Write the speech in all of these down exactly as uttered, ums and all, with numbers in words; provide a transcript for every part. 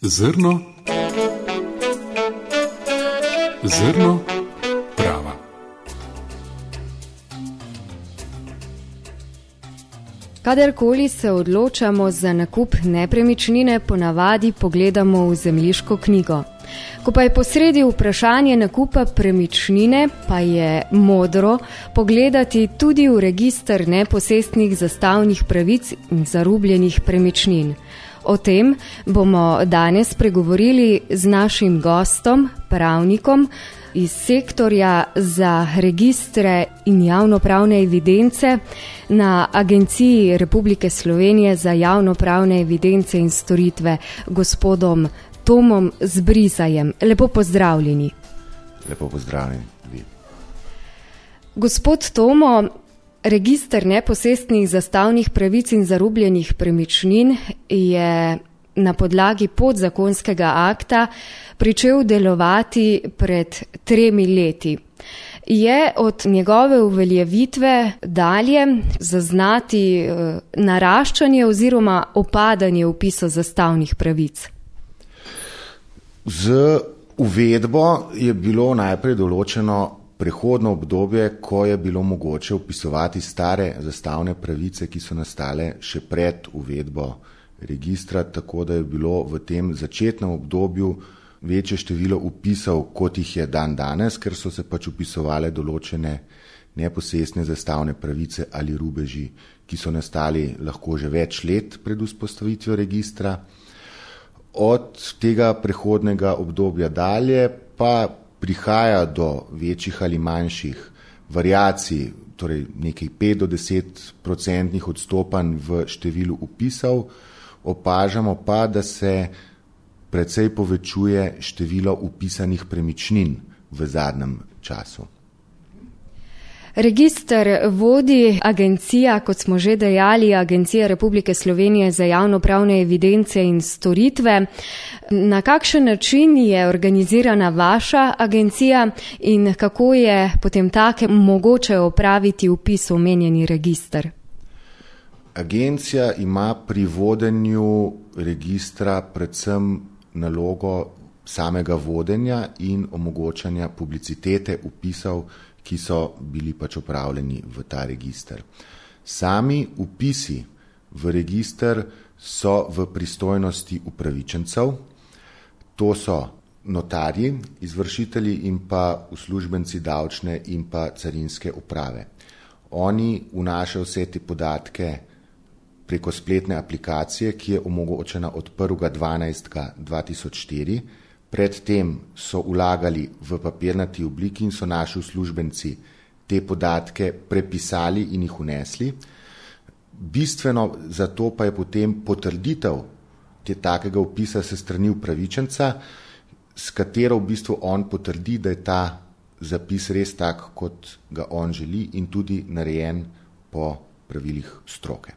Zrno, zrno prava. Kadarkoli se odločamo za nakup nepremičnine, ponavadi pogledamo v zemljiško knjigo. Ko pa je posredi vprašanje nakupa premičnine, pa je modro pogledati tudi v register neposestnih zastavnih pravic in zarubljenih premičnin. O tem bomo danes pregovorili z našim gostom, pravnikom iz sektorja za registre in javnopravne evidence na Agenciji Republike Slovenije za javnopravne evidence in storitve, gospodom Tomom Zbrizajem. Lepo pozdravljeni. Lepo pozdravljeni. Gospod Tomo, register neposestnih zastavnih pravic in zarubljenih premičnin je na podlagi podzakonskega akta pričel delovati pred tremi leti. Je od njegove uveljavitve dalje zaznati naraščanje oziroma opadanje vpisa zastavnih pravic? Z uvedbo je bilo najprej določeno prehodno obdobje, ko je bilo mogoče vpisovati stare zastavne pravice, ki so nastale še pred uvedbo registra, tako da je bilo v tem začetnem obdobju večje število vpisov, kot jih je dan danes, ker so se pač vpisovale določene neposestne zastavne pravice ali rubeži, ki so nastali lahko že več let pred vzpostavitvijo registra. Od tega prehodnega obdobja dalje pa prihaja do večjih ali manjših variacij, torej nekaj pet do deset procentnih odstopanj v številu vpisov, opažamo pa, da se precej povečuje število vpisanih premičnin v zadnjem času. Register vodi agencija, kot smo že dejali, Agencija Republike Slovenije za javnopravne evidence in storitve. Na kakšen način je organizirana vaša agencija in kako je potem take mogoče opraviti vpis v omenjeni register? Agencija ima pri vodenju registra predvsem nalogo samega vodenja in omogočanja publicitete vpisov, ki so bili pač opravljeni v ta register. Sami vpisi v register so v pristojnosti upravičencev, to so notarji, izvršitelji in pa uslužbenci davčne in pa carinske uprave. Oni vnašajo vse te podatke preko spletne aplikacije, ki je omogočena od prvega dvanajstega dva tisoč štiri. Predtem so vlagali v papirnati obliki in so naši uslužbenci te podatke prepisali in jih vnesli. Bistveno za to pa je potem potrditev te takega vpisa se strani upravičenca, s katero v bistvu on potrdi, da je ta zapis res tak, kot ga on želi in tudi narejen po pravilih stroke.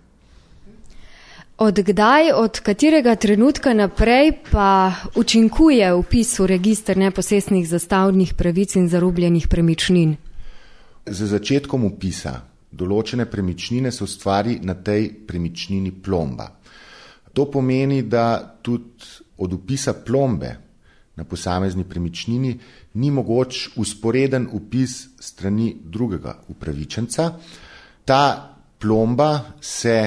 Od kdaj, od katerega trenutka naprej pa učinkuje vpis v register neposestnih zastavnih pravic in zarubljenih premičnin? Z začetkom vpisa določene premičnine se ustvari na tej premičnini plomba. To pomeni, da tudi od vpisa plombe na posamezni premičnini ni mogoč vzporeden vpis strani drugega upravičenca. Ta plomba se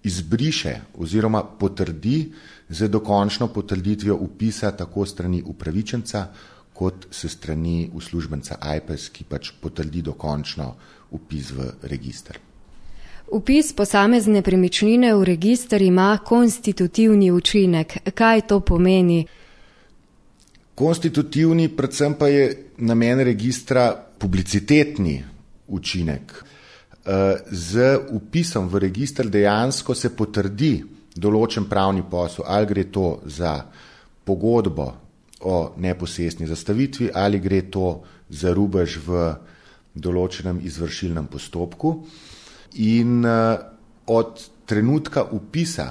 izbriše oziroma potrdi z dokončno potrditvijo vpisa tako strani upravičenca kot se strani uslužbenca A I P E S, ki pač potrdi dokončno vpis v register. Vpis posamezne premičnine v register ima konstitutivni učinek. Kaj to pomeni? Konstitutivni, predvsem pa je namen registra publicitetni učinek. Z vpisom v register dejansko se potrdi določen pravni posel, ali gre to za pogodbo o neposestni zastavitvi, ali gre to za rubež v določenem izvršilnem postopku. In od trenutka vpisa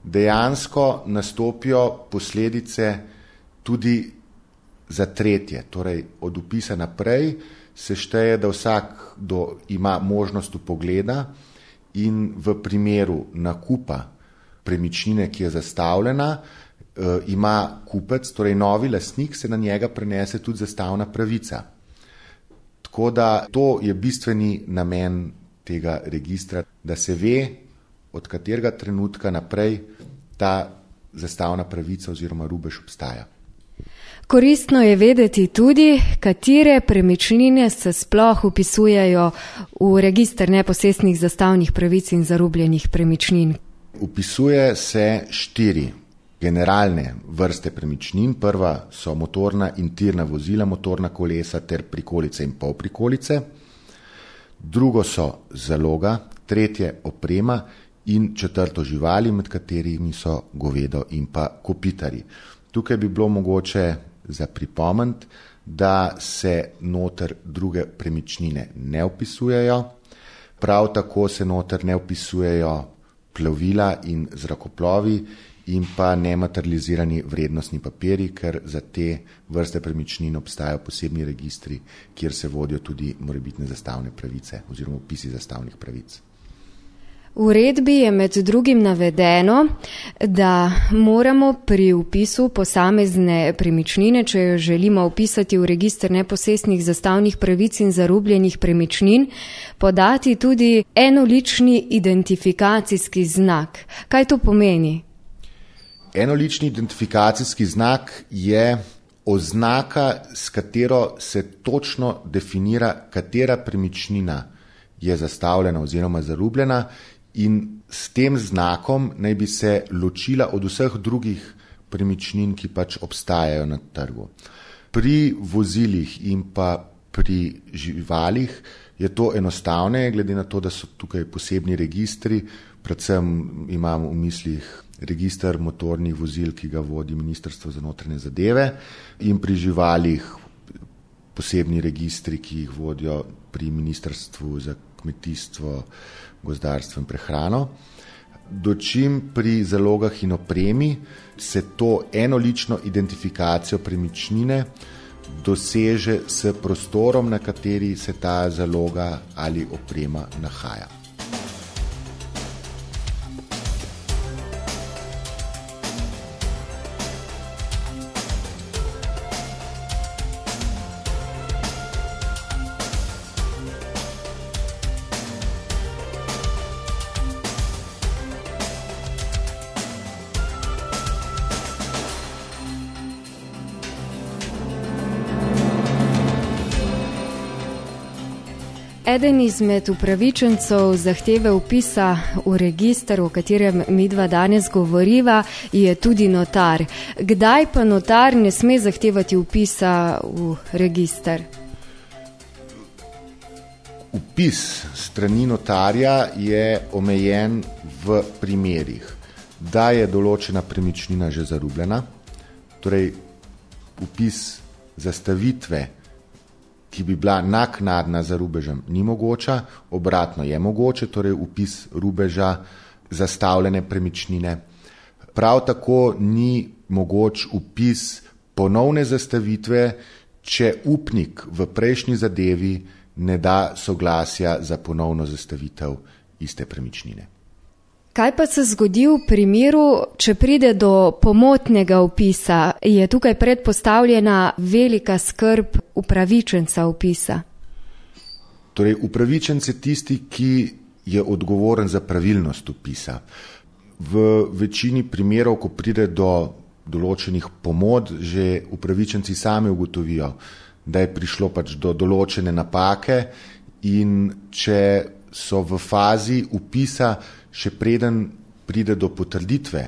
dejansko nastopijo posledice tudi za tretje, torej od vpisa naprej se šteje, da vsak do ima možnost vpogleda in v primeru nakupa premičnine, ki je zastavljena, ima kupec, torej novi lastnik, se na njega prenese tudi zastavna pravica. Tako da to je bistveni namen tega registra, da se ve, od katerega trenutka naprej ta zastavna pravica oziroma rubež obstaja. Koristno je vedeti tudi, katere premičnine se sploh vpisujejo v register neposestnih zastavnih pravic in zarubljenih premičnin. Vpisuje se štiri generalne vrste premičnin. Prva so motorna in tirna vozila, motorna kolesa ter prikolice in polprikolice. Drugo so zaloga, tretje oprema in četrto živali, med katerimi so govedo in pa kopitarji. Tukaj bi bilo mogoče za pripomniti, da se noter druge premičnine ne vpisujejo, prav tako se noter ne vpisujejo plovila in zrakoplovi in pa nematerializirani vrednostni papiri, ker za te vrste premičnin obstajajo posebni registri, kjer se vodijo tudi morebitne zastavne pravice oziroma vpisi zastavnih pravic. V uredbi je med drugim navedeno, da moramo pri vpisu posamezne premičnine, če jo želimo vpisati v register neposestnih zastavnih pravic in zarubljenih premičnin, podati tudi enolični identifikacijski znak. Kaj to pomeni? Enolični identifikacijski znak je oznaka, s katero se točno definira, katera premičnina je zastavljena oziroma zarubljena, in s tem znakom naj bi se ločila od vseh drugih premičnin, ki pač obstajajo na trgu. Pri vozilih in pa pri živalih je to enostavne, glede na to, da so tukaj posebni registri, predvsem imam v mislih register motornih vozil, ki ga vodi Ministrstvo za notranje zadeve, in pri živalih posebni registri, ki jih vodijo pri Ministrstvu za kmetijstvo, gozdarstvo in prehrano. Dočim pri zalogah in opremi se to enolično identifikacijo premičnine doseže s prostorom, na kateri se ta zaloga ali oprema nahaja. Eden izmed upravičencev zahteve vpisa v register, o katerem midva danes govoriva, je tudi notar. Kdaj pa notar ne sme zahtevati vpisa v register? Vpis strani notarja je omejen v primerih, da je določena premičnina že zarubljena, torej vpis zastavitve, ki bi bila naknadna za rubežem, ni mogoča, obratno je mogoče, torej vpis rubeža zastavljene premičnine. Prav tako ni mogoč vpis ponovne zastavitve, če upnik v prejšnji zadevi ne da soglasja za ponovno zastavitev iste premičnine. Kaj pa se zgodi v primeru, če pride do pomotnega vpisa? Je tukaj predpostavljena velika skrb upravičenca vpisa? Torej, upravičenec je tisti, ki je odgovoren za pravilnost vpisa. V večini primerov, ko pride do določenih pomot, že upravičenci sami ugotovijo, da je prišlo pač do določene napake, in če so v fazi vpisa, še preden pride do potrditve,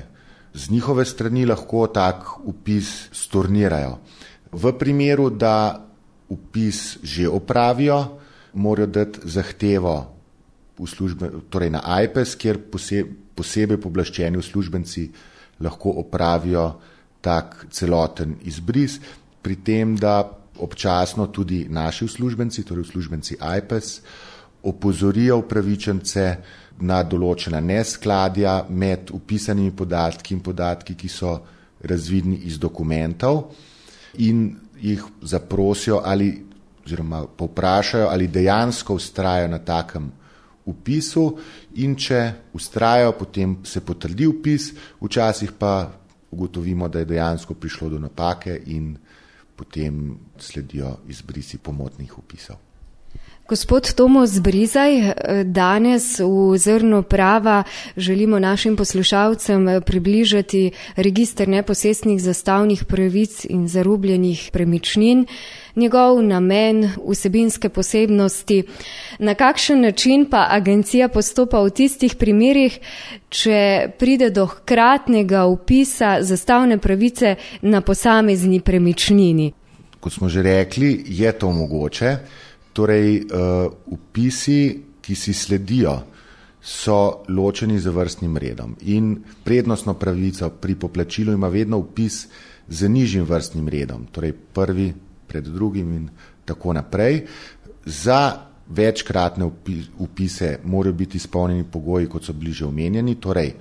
z njihove strani lahko tak vpis stornirajo. V primeru, da vpis že opravijo, morajo dati zahtevo v službe, torej na Ajpes, kjer posebej pooblaščeni uslužbenci lahko opravijo tak celoten izbris, pri tem, da občasno tudi naši uslužbenci, torej uslužbenci Ajpes, opozorijo upravičence na določena neskladja med vpisanimi podatki in podatki, ki so razvidni iz dokumentov, in jih zaprosijo ali oziroma povprašajo, ali dejansko vztrajajo na takem vpisu, in če vztrajajo, potem se potrdi vpis, včasih pa ugotovimo, da je dejansko prišlo do napake in potem sledijo izbrisi pomotnih vpisov. Gospod Tomo Zbrizaj, danes v Zrnu prava želimo našim poslušalcem približati register neposestnih zastavnih pravic in zarubljenih premičnin, njegov namen, vsebinske posebnosti, na kakšen način pa agencija postopa v tistih primerih, če pride do hkratnega vpisa zastavne pravice na posamezni premičnini. Kot smo že rekli, je to mogoče. Torej, uh, vpisi, ki si sledijo, so ločeni z vrstnim redom in prednostno pravico pri poplačilu ima vedno vpis z nižjim vrstnim redom, torej prvi pred drugim in tako naprej. Za večkratne vpise morajo biti izpolnjeni pogoji, kot so bili že omenjeni, torej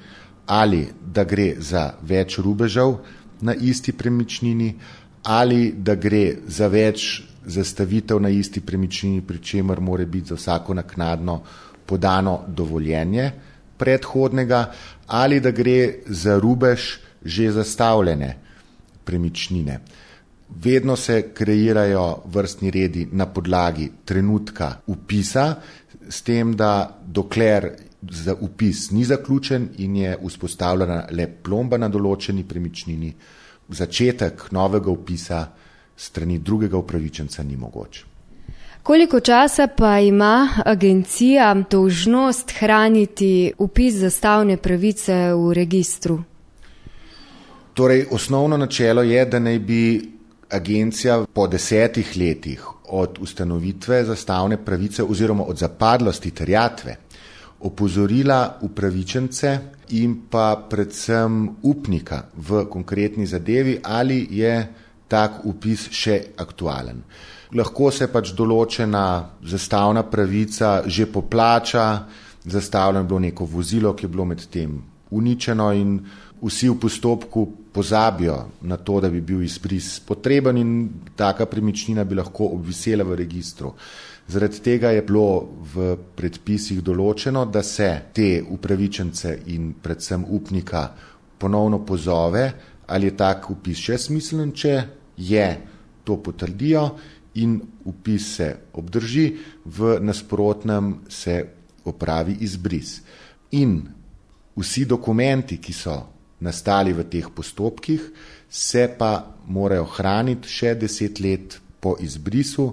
ali da gre za več rubežev na isti premičnini, ali da gre za več zastavitev na isti premičnini, pri čemer mora biti za vsako naknadno podano dovoljenje predhodnega, ali da gre za rubež že zastavljene premičnine. Vedno se kreirajo vrstni redi na podlagi trenutka vpisa, s tem, da dokler za vpis ni zaključen in je vzpostavljena le plomba na določeni premičnini, začetek novega vpisa strani drugega upravičenca ni mogoč. Koliko časa pa ima agencija dolžnost hraniti vpis zastavne pravice v registru? Torej, osnovno načelo je, da naj bi agencija po desetih letih od ustanovitve zastavne pravice oziroma od zapadlosti terjatve opozorila upravičence in pa predvsem upnika v konkretni zadevi, ali je tak vpis še aktualen. Lahko se pač določena zastavna pravica že poplača, zastavljeno je bilo neko vozilo, ki je bilo med tem uničeno in vsi v postopku pozabijo na to, da bi bil izbris potreben in taka premičnina bi lahko obvisela v registru. Zaradi tega je bilo v predpisih določeno, da se te upravičence in predvsem upnika ponovno pozove, ali je tak vpis še smiselen, če je, to potrdijo in vpis se obdrži, v nasprotnem se opravi izbris. In vsi dokumenti, ki so nastali v teh postopkih, se pa morajo hraniti še deset let po izbrisu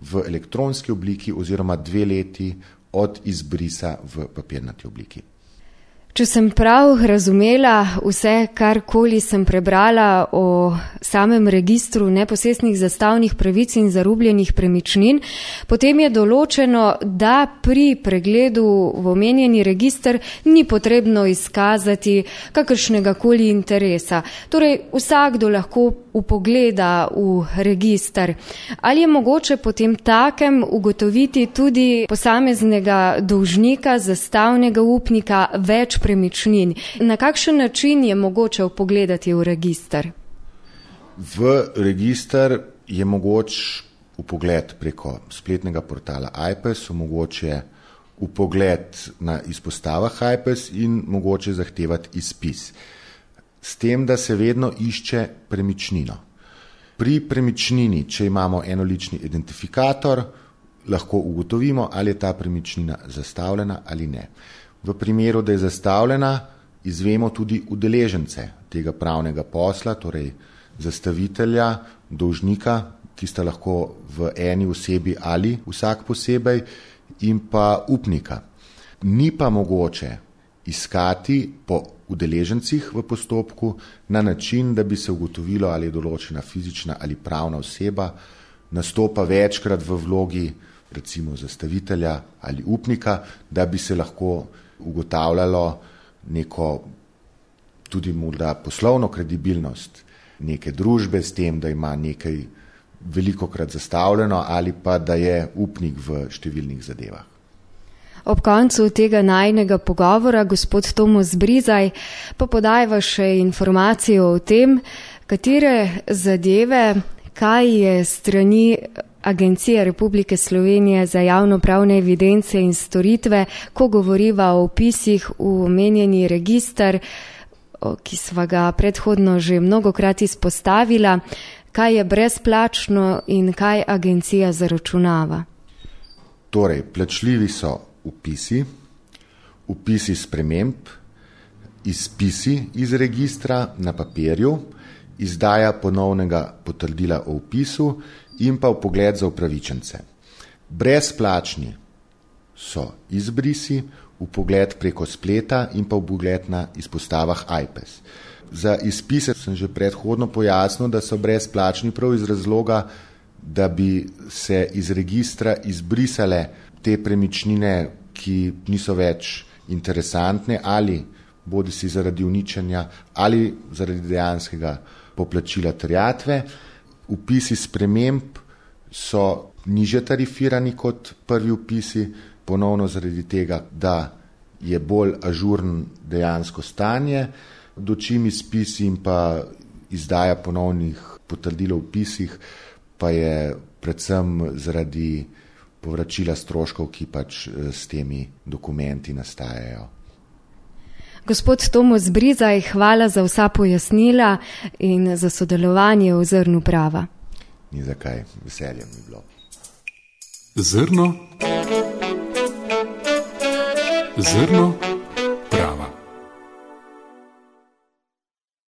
v elektronski obliki oziroma dve leti od izbrisa v papirnati obliki. Če sem prav razumela vse, karkoli sem prebrala o samem registru neposestnih zastavnih pravic in zarubljenih premičnin, potem je določeno, da pri pregledu v omenjeni register ni potrebno izkazati kakršnega koli interesa. Torej, vsakdo lahko upogleda v register. Ali je mogoče potem takem ugotoviti tudi posameznega dolžnika, zastavnega upnika, več premičnin? Na kakšen način je mogoče vpogledati v register? V register je mogoč vpogled preko spletnega portala Ajpes, mogoče vpogled na izpostavah Ajpes in mogoče zahtevati izpis. S tem, da se vedno išče premičnino. Pri premičnini, če imamo enolični identifikator, lahko ugotovimo, ali je ta premičnina zastavljena ali ne. V primeru, da je zastavljena, izvemo tudi udeležence tega pravnega posla, torej zastavitelja, dolžnika, ki sta lahko v eni osebi ali vsak posebej, in pa upnika. Ni pa mogoče iskati po udeležencih v postopku na način, da bi se ugotovilo, ali je določena fizična ali pravna oseba nastopa večkrat v vlogi recimo zastavitelja ali upnika, da bi se lahko ugotavljalo neko tudi morda poslovno kredibilnost neke družbe s tem, da ima nekaj velikokrat zastavljeno ali pa da je upnik v številnih zadevah. Ob koncu tega najinega pogovora, gospod Tomo Zbrizaj, pa podajva še informacijo o tem, katere zadeve, kaj je strani Agencije Republike Slovenije za javnopravne evidence in storitve, ko govoriva o vpisih v omenjeni register, ki sva ga predhodno že mnogokrat izpostavila, kaj je brezplačno in kaj agencija zaračunava. Torej, plačljivi so vpisi, vpisi sprememb, izpisi iz registra na papirju, izdaja ponovnega potrdila o vpisu in pa vpogled za upravičence. Brezplačni so izbrisi, vpogled preko spleta in pa vpogled na izpostavah I P E S. Za izpise sem že predhodno pojasnil, da so brezplačni prav iz razloga, da bi se iz registra izbrisale te premičnine, ki niso več interesantne ali bodi si zaradi uničenja ali zaradi dejanskega poplačila terjatve. Vpisi sprememb so niže tarifirani kot prvi vpisi, ponovno zaradi tega, da je bolj ažurn dejansko stanje, dočim izpisi in pa izdaja ponovnih potrdil o vpisih pa je predvsem zaradi povračila stroškov, ki pač s temi dokumenti nastajajo. Gospod Tomo Zbrizaj, hvala za vsa pojasnila in za sodelovanje v Zrnu prava. Ni zakaj, veselje mi bilo. Zrno. Zrno